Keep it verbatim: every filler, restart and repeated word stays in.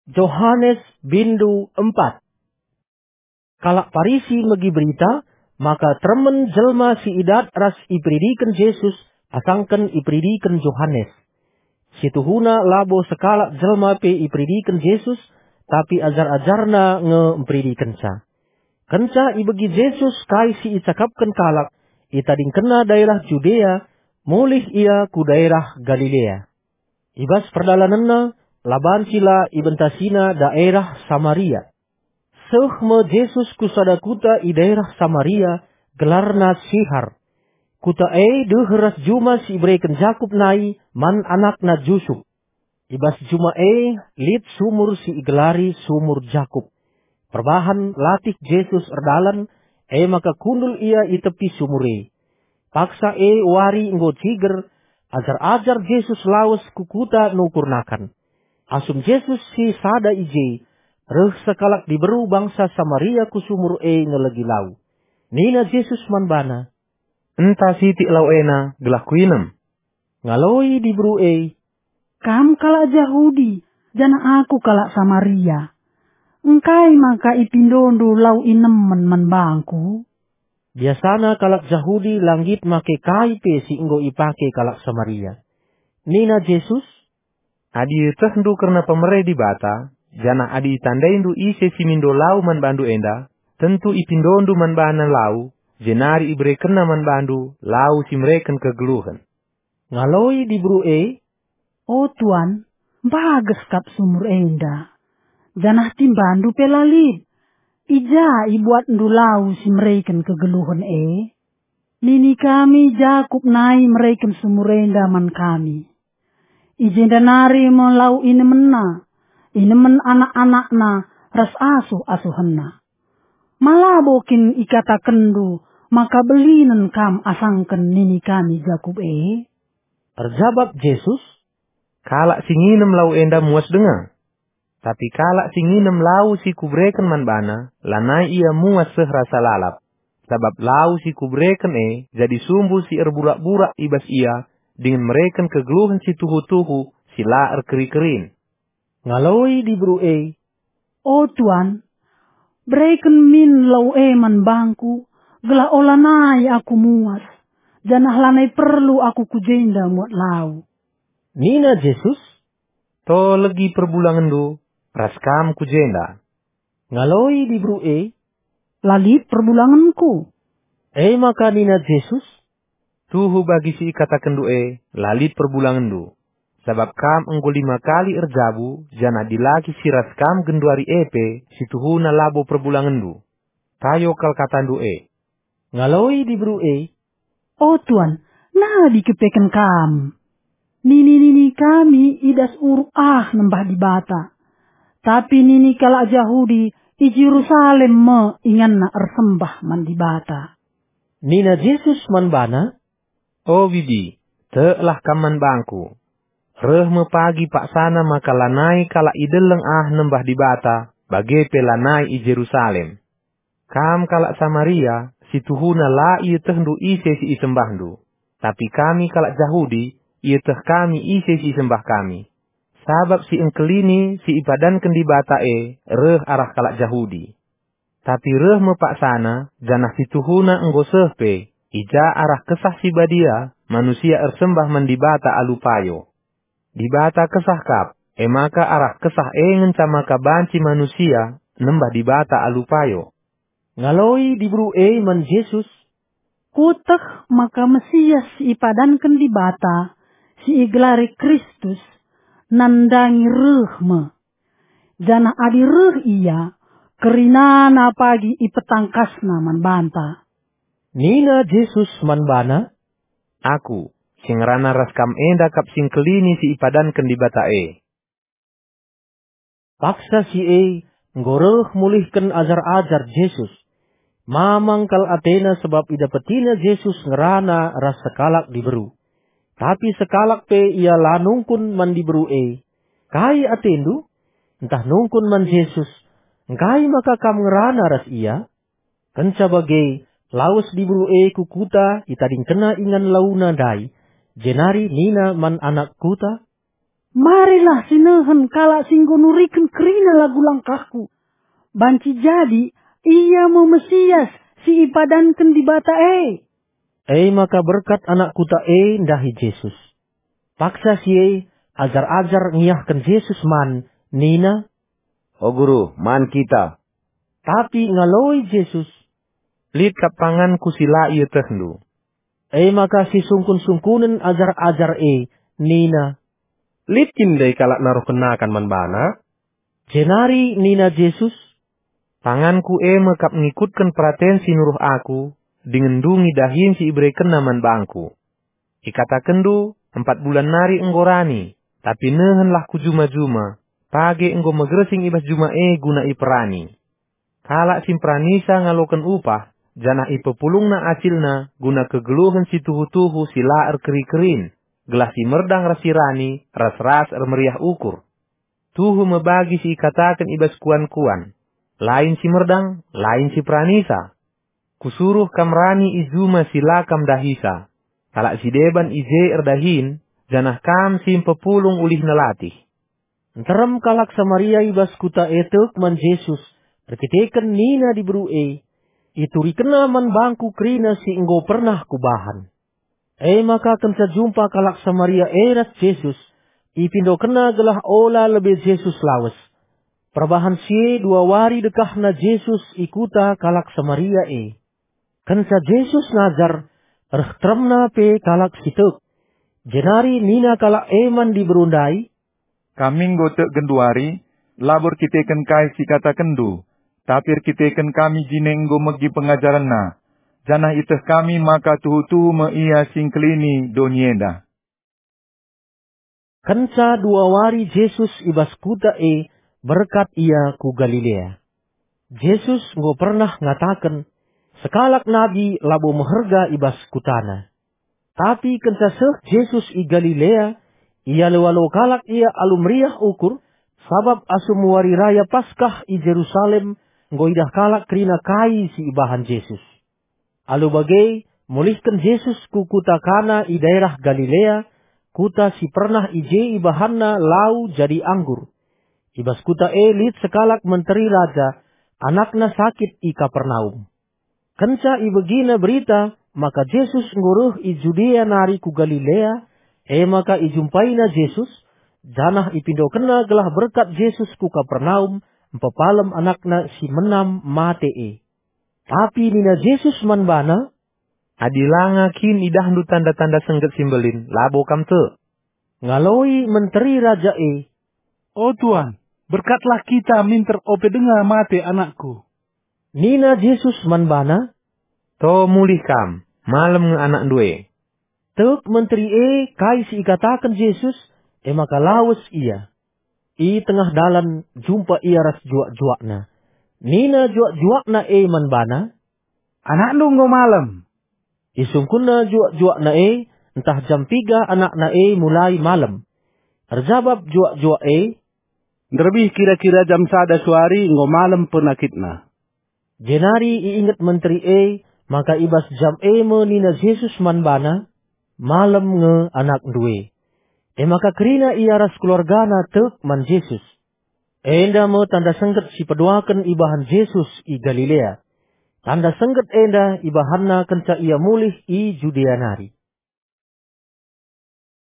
Johanes bindu empat. Kalak Parisi megi berita maka teremen jelma si idat ras iperidiken Jesus asangken iperidiken Johanes. Situhuna labo sekalak jelma pe iperidiken Jesus, tapi ajar-ajarNa nge mperidikenca. Kenca ibegi Jesus kai si icakapken kalak, itadingkenNa daerah Judea, mulih Ia ku daerah Galilea. I bas perdalanenNa, la banci la ibentasiNa daerah Samaria. Seh me Jesus ku sada kuta i daerah Samaria, gelarna Sihar. Kuta e deher ras juma si ibereken Jakup nai man anakna Jusup. I bas juma e lit sumur si igelari Sumur Jakup. Perbahan latih Jesus erdalan, e maka kundul Ia i tepi sumur e. Paksa e wari enggo ciger, ajar-ajar Jesus lawes ku kuta nukur nakan. Asum Jesus si sada i je, reh sekalak diberu bangsa Samaria ku sumur e ngelegi lau. Nina Jesus man bana, "Enta sitik lau ena gelah kuinem." Ngaloi diberu e, "Kam kalak Jahudi, janah aku kalak Samaria. Engkai maka ipindondu lau inemen man bangku?" Biasana kalak Jahudi la nggit make kai pe si enggo ipake kalak Samaria. Nina Jesus, "Adi ietehndu kerna pemere Dibata, janah adi itandaindu ise si mindo lau man bandu enda, tentu ipindondu man bana lau, jenari iberekenna man bandu lau si mereken kegeluhen." Ngaloi diberu e, "O Tuan, mbages kap sumur enda, janah timbandu pe la lit. I ja ibuatndu lau si mereken kegeluhen e? Nini kami Jakup nai mereken sumur enda man kami. I jenda nari me lau inemenna, inemen anak-anakna ras asuh-asuhenna. Ma labo kin ikatakenndu maka belinen kam asangken nini kami Jakup e?" Erjabap Jesus, "Kalak si nginem lau enda muas denga. Tapi kalak si nginem lau si kubereken man bana, lanai ia muas seh rasa lalap. Sabap lau si kubereken e jadi sumbu si erburak-burak i bas ia dingen mereken kegeluhen si tuhu-tuhu si la erkeri-kerin." Ngaloi diberu e, "O Tuan, bereken min lau e man bangku, gelah olanai aku muas, janah lanai perlu aku ku jenda muat lau." Nina Jesus, "To legi perbulangenndu, ras kam ku jenda." Ngaloi diberu e, "La lit perbulangenku." E maka nina Jesus, "Tuhu bagi si ikatakenndu e, la lit perbulangenndu. Sabap kam enggo lima kali erjabu, janah dilaki si ras kam genduari e pe, situhuna labo perbulangenndu. Payo kal katandu e." Ngaloi diberu e, "O Tuan, nabi kepeken kam. Nini-nini kami i das uruk ah nembah Dibata. Tapi nini kalak Jahudi i Jerusalem me inganna ersembah man Dibata." Nina Jesus man bana, "O bibi, teklah kam man bangku. Reh me pagi paksana maka lanai kalak i deleng ah nembah Dibata, bage pe lanai i Jerusalem. Kam kalak Samaria, situhuna la ietehndu ise si isembahndu. Tapi kami kalak Jahudi, ieteh kami ise si isembah kami. Sabap si engkelini si ipadanken Dibata e reh arah kalak Jahudi. Tapi reh me paksana, janah situhuna enggo seh pe, i ja arah Kesah Si Badia manusia ersembah man Dibata alu payo. Dibata kesah kap, e maka arah Kesah e ngenca maka banci manusia nembah Dibata alu payo." Ngaloi diberu e man Jesus, "Kueteh maka Mesias si ipadanken Dibata, si igelari Kristus, nandangi reh me. Janah adi reh Ia, kerinana pagi ipetangkasNa man banta." Nina Jesus man bana, "Aku, si ngerana ras kam enda kap si engkelini si ipadanken Dibata e." Paksa si e enggo reh mulihken ajar-ajar Jesus. Mamang kal atena sabap idapetina Jesus ngerana ras sekalak diberu. Tapi sekalak pe ia la nungkun man diberu e, "Kai atendu?" Ntah nungkun man Jesus, "Engkai maka kam ngerana ras ia?" Kenca bage, lawes diberu e ku kuta, itadingkenna ingan launa ndai, jenari nina man anak kuta, "Marilah sinehen kalak si enggo nuriken kerina lagu langkahku. Banci jadi ia me Mesias si ipadanken Dibata e." E maka berkat anak kuta e ndahi Jesus. Paksa si e, ajar-ajar ngiahken Jesus man, nina, "O Guru, man kita." Tapi ngaloi Jesus, "Lit kap panganku si la ietehndu." E maka sisungkun-sungkunen ajar-ajar e nina, "Lit kin ndai kalak naruhken nakan man bana?" Jenari nina Jesus, "Panganku e me kap ngikutken peraten si nuruh Aku, dingen ndungi dahin si iberekenNa man bangKu. Ikatakenndu, 'Empat bulan nari enggo rani,' tapi nehenlah ku juma-juma, page enggo megersing i bas juma e guna iperani. Kalak si mperanisa ngaloken upah, janah ipepulungna acilna guna kegeluhen si tuhu-tuhu si la erkeri-kerin, gelah si merdang ras si rani ras-ras ermeriah ukur. Tuhu me bagi si ikataken i bas kuan-kuan, 'Lain si merdang, lain si peranisa.' Kusuruh kam rani i juma si la kam dahisa. Kalak si deban i je erdahin, janah kam si mpepulung ulihna latih." Nterem kalak Samaria i bas kuta e tek man Jesus erkiteken nina diberu e, "IturikenNa man bangku kerina si enggo pernah kubahan." E maka kenca jumpa kalak Samaria e ras Jesus, ipindokenna gelah ola lebe Jesus lawes. Perbahan si e dua wari dekahna Jesus i kuta kalak Samaria e. Kenca Jesus ngajar, reh teremna pe kalak si tek. Jenari nina kalak e man diberu ndai, "Kami enggo tek genduari, labo erkiteken kai si ikatakenndu, tapi erkiteken kami jine enggo megi pengajarenNa, janah ieteh kami maka tuhu-tuhu me IA si engkelini doni enda." Kenca dua wari Jesus i bas kuta e, berkat Ia ku Galilea. Jesus enggo pernah ngataken, "Sekalak nabi labo meherga i bas kutana." Tapi kenca seh Jesus i Galilea, ialo-alo kalak Ia alu meriah ukur, sabap asum wari raya Paskah i Jerusalem enggo idah kalak kerina kai si ibahan Jesus. Alu bage, mulihken Jesus ku kuta Kana i daerah Galilea, kuta si pernah i je ibahanNa lau jadi anggur. I bas kuta e lit sekalak menteri raja, anakna sakit i Kapernaum. Kenca ibegina berita maka Jesus enggo reh i Judea nari ku Galilea, e maka ijumpaina Jesus, janah ipindokenna gelah berkat Jesus ku Kapernaum mpepalem anakna si menam mate e. Tapi nina Jesus man bana, "Adi langa kin idahndu tanda-tanda sengget si mbelin, labo kam tek." Ngaloi menteri raja e, "O Tuan, berkatlah kita minter ope denga mate anakku." Nina Jesus man bana, "To mulih kam, malem nge anakndu e." Tek menteri e kai si ikataken Jesus, e maka lawes ia. I tengah dalan jumpa ia ras juak-juakna. Nina juak-juakna e man bana, "Anakndu enggo malem." Isungkunna juak-juakna e, ntah jam piga anakna e mulai malem. Erjabap juak-juak e, "Nderbih kira-kira jam sada suari enggo malem penakitna." Jenari iinget menteri e maka i bas jam e me nina Jesus man bana, "Malem nge anakndu e." E maka kerina ia ras keluargana tek man Jesus. Enda me tanda sengget si peduaken ibahan Jesus i Galilea. Tanda sengget enda ibahanna kenca ia mulih i Judea nari.